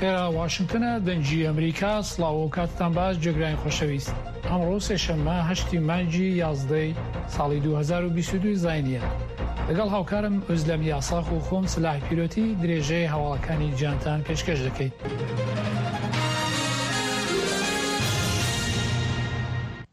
ئێرە واشنتنە دەنگی ئەمریکا سڵاو و کاتتان باش جێگرانی خۆشەویست ئەمڕۆ سێشەممە هەشتی مانگی یازدەی ساڵی 2022 زاینیە لەگەڵ هاوکارم ئۆزلەم یاساخ و خۆم سلاح پیرۆتی درێژەی هەواڵەکانی جیهانتان پێشکەش دەکەین.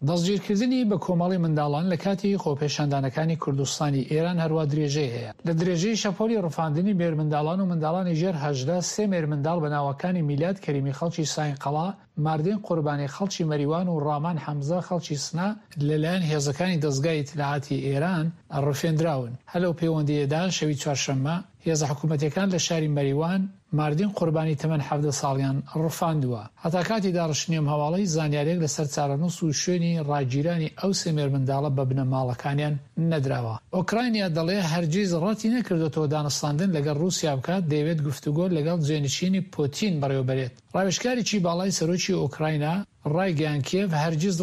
دەستگیرکردنی بە کۆمەڵی منداڵان لە کاتی خۆپێشاندانەکانی کوردستانی ئێران هەروا درێژەی هەیە. لە درێژەی شەپۆلی ڕفاندنی مێرمنداڵان و منداڵانی ژێر 18، سێ مێرمنداڵ بە ناوەکانی میلاد کەریمی خەڵکی ساینقەڵا، ماردین قوربانی خەڵکی مەریوان و ڕامان حەمزە خەڵکی سنە، لەلایەن هێزەکانی دەزگای ئیتلاعاتی ئێران ڕفێندراون. هەر لەو پێوەندییەدا شەوی چوارشەممە، هێزە حکوومەتییەکان لە شاری مەریوان، ماردین قوربانی تەمەن 17 ساڵیان ڕفاندووە. هەتا کاتی داڕشتنی ئەم هەواڵە هیچ زانیارییەک لەسەر چارەنووس و شوێنی ڕاگیرانی ئەو سێ مێرمنداڵە بە بنەماڵەکانیان نەدراوە. ئۆکرانیا دەڵێ هەرگیز ڕەتی نەکردۆتەوە دانوستاندن لەگەڵ ڕووسیا بکات، دەیەوێت گفتوگۆ لەگەڵ جێنشینی پوتین بەڕێوەبەرێت. ڕاوێژکارێکی باڵای سەرۆکی ئۆکراینا ڕایگەیاند کیێڤ هەرگیز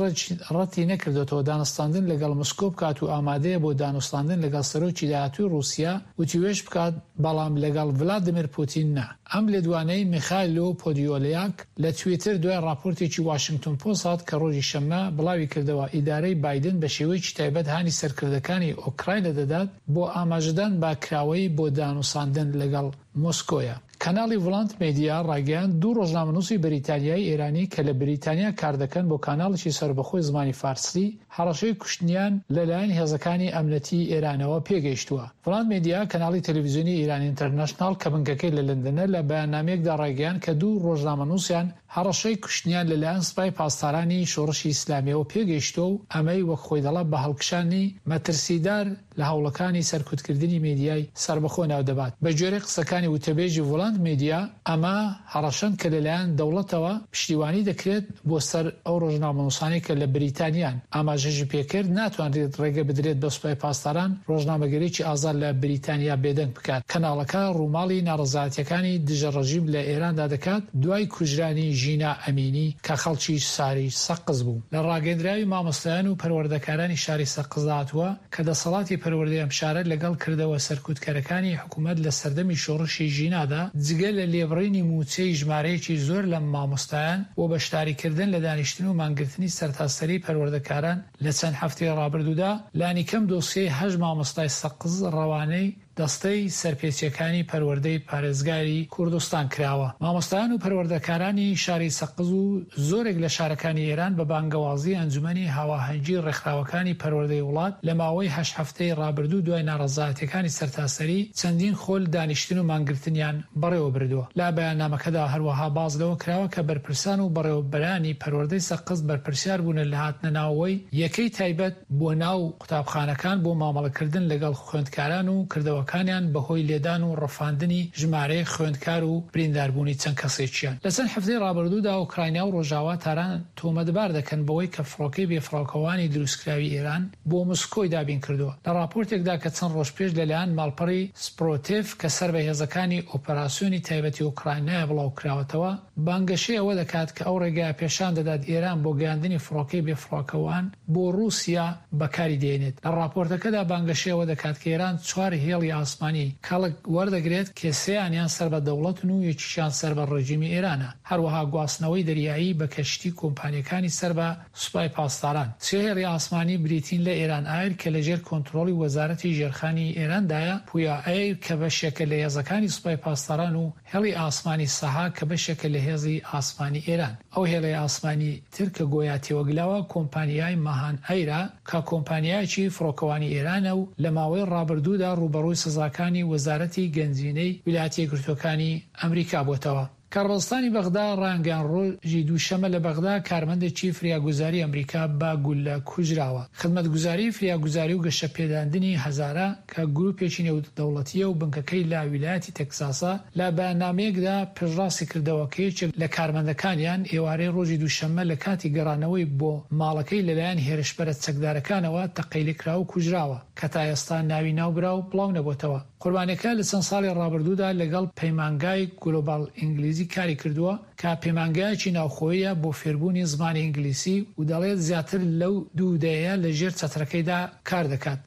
ڕەتی نەکردۆتەوە دانوستاندن لەگەڵ مسکۆ بکات و ئامادەیە بۆ دانوستاندن لەگەڵ سەرۆکی داهاتووی ڕووسیا وتووێژ بکات بەڵام لەگەڵ ڤلادیمێر پوتین نا. ئەم لێدوانەی میخایلۆ پۆدیۆلیاک لە تویتر دوای ڕاپۆرتێکی واشنگتۆن پۆست هات کە ڕۆژی شەممە بڵاویکردەوە ئیدارەی بایدن بە شێوەیەکی تایبەت هانی سەرکردەکانی ئۆکراینا دەدات بۆ ئاماژەدان بە کراوەیی بۆ دانوساندن لەگەڵ مۆسکۆیە. کەناڵی ڤڵانت مێدیا ڕایگەیاند، دوو ڕۆژنامەنووسی بەریتانیایی ئێرانی کە لە بریتانیا کاردەکەن بۆ کاناڵێکی سەربەخۆی زمانی فارسی، هەڕەشەی کوشتنیان لەلایەن هێزەکانی ئەمنەتیی ئێرانەوە پێگەیشتووە. ڤڵانت مێدیا، کەناڵی تەلەڤیزیۆنی ئیران ئینتەرنەشناڵ کە بنکەکەی لە لەندەنە، لە بەیاننامەیەکدا ڕایگەیاند کە دوو ڕۆژنامەنووسیان هەڕەشەی کوشتنیان لەلایەن سپای پاسدارانی شۆڕشی ئیسلامییەوە پێگەیشتووە و ئەمەی وەک خۆی دەڵێ بە هەڵکشانی مەترسیدار لە هەوڵەکانی سەرکوتکردنی میدیای سەربەخۆ ناودەبات. بەگوێرەی قسەکانی وتەبێژی ڤۆلانت میدیا، ئەمە هەڕەشەن کە لەلایەن دەوڵەتەوە پشتیوانی دەکرێت بۆ سەر ئەو ڕۆژنامەنووسانەی کە لە بریتانیان. ئاماژەشی پێکرد، ناتوانرێت ڕێگە بدرێت بە سوپای پاسداران ڕۆژنامەگەریی ئازاد لە بریتانیا بێدەنگ بکات. کەناڵەکە ڕووماڵی ناڕەزایەتییەکانی دژە ڕژیم لە ئێراندا دەکات دوای کوژرانی ژینا ئەمینی کە خەڵکی شاری سەقز بوو. لە ڕاگەیەندراوی مامۆستایان و پەروەردەکارانی شاری سەقزدا هاتووە کە دەسەڵاتی پەروەردەی ئەم شارە لەگەڵ کردەوە سەرکوتکەرەکانی حکوومەت لە سەردەمی شۆڕشی ژینادا، جگە لە لێبڕینی مووچەی ژمارەیەکی زۆر لە مامۆستایان و بەشداریکردن لە دانیشتن و مانگرتنی سەرتاسەریی پەروەردەکاران لە چەند هەفتەی ڕابردوودا، لانیکەم دۆسیەی هەشت مامۆستای سەقز ڕەوانەی دەستەی سەرپێچییەکانی پەروەردەی پارێزگاری کوردستان کراوە. مامۆستایان و پەروەردەکارانی شاری سەقز و زۆرێک لە شارەکانی ئێران بە بانگەوازی ئەنجومەنی هاواهەنگی ڕێکخراوەکانی پەروەردەی وڵات لە ماوەی هەشت هەفتەی ڕابردوو دوای ناڕەزایەتییەکانی سەرتاسەری چەندین خول دانیشتن و مانگرتنیان بەڕێوە بردووە. لە بەیاننامەکەدا هەروەها باس لەوە کراوە کە بەرپرسان و بەڕێوەبەرانی پەروەردەی سەقز بەرپرسیار بوونە لە هاتنەناوەوەی یەکەی تایبەت بۆ ناو قوتابخانەکان بۆ مامەڵەکردن لەگەڵ خوێندکاران و کردەوەکانیان بەهۆی لێدان و ڕفاندنی ژمارەیەک خوێندکار و برینداربوونی چەند کەسێکیان. لە چەند هەفتەی ڕابردوودا ئۆکرانیا و ڕۆژاوا تاران تۆمەتبار دەکەن بەوەی کە فڕۆکەی بێفڕۆکەوانی دروستکراوی ئێران بۆ مسکۆی دابینکردووە. لە ڕاپۆرتێکدا کە چەند ڕۆژ پێش لەلایەن ماڵپەڕی سپرۆتێڤ کە سەر بە هێزەکانی ئۆپەراسیۆنی تایبەتی ئۆکرانیایە بڵاوکراوەتەوە، بانگەشەی ئەوە دەکات کە ئەو ڕێگایە پێشان دەدات ئێران بۆ گەیاندنی فڕۆکەی بێفڕۆکەوان بۆ ڕووسیا بەکاری دێنێت. لە ڕاپۆرتەکەدا بانگەشەی ئەوە دەکات کە ئێران چوار هێڵی ئاسمانی کەڵک وەردەگرێت کە سێیانیان سەر بە دەوڵەتن و یەکیشیان سەر بە ڕێژیمی ئێرانە، هەروەها گواستنەوەی دەریایی بە کەشتی کۆمپانیەکانی سەر بە سوپای پاسداران. سێ هێڵی ئاسمانی بریتین لە ئێران ئایر کە لەژێر کۆنترۆڵی وەزارەتی ژێرخانی ئێراندایە، پویا ئەیر کە بەشێکە لە هێزەکانی سوپای پاسداران و هێڵی ئاسمانی سەها کە بەشێکە لە هێزی ئاسمانی ئێران. ئەو هێڵەی ئاسمانی تر کە گۆیا تێوەگلاوە کۆمپانیای ماهان ئەیرە کە کۆمپانیایەکی فڕۆکەوانی ئێرانە و لە ماوەی ڕابردوودا ڕووبەڕووی سزاکانی وەزارەتی گەنجینەی ویلایەتە یەکگرتووەکانی ئەمریکا بۆتەوە. کاربەدەستانی بەغدا ڕایانگەیاند ڕۆژی دووشەمە لە بەغدا کارمەندێکی فریاگوزاری ئەمریکا بە گوللە کوژراوە. خزمەتگوزاری فریاگوزاری و گەشەپێداندنی هەزارە کە گروپێکی نێودەوڵەتییە و بنکەکەی لە ویلایەتی تەکساسە، لە بەیاننامەیەکدا پشتڕاستی کردەوە کە یەکێک لە کارمەندەکانیان ئێوارەی ڕۆژی دووشەممە لە کاتی گەڕانەوەی بۆ ماڵەکەی لەلایەن هێرشبەرە چەکدارەکانەوە تەقەی لێکراوە و کوژراوە کە تا ئێستا ناوی ناوبراو بڵاونەبۆتەوە. قوربانیەکە لە چەند ساڵی ڕابردوودا لەگەڵ پەیمانگای گلۆباڵ ئینگلیزی کاری کردووە کە پەیمانگایەکی ناوخۆییە بۆ فێربوونی زمانی ئینگلیسی و دەڵێت زیاتر لەو دوو دەیەیە لە ژێر چەترەکەیدا کار دەکات.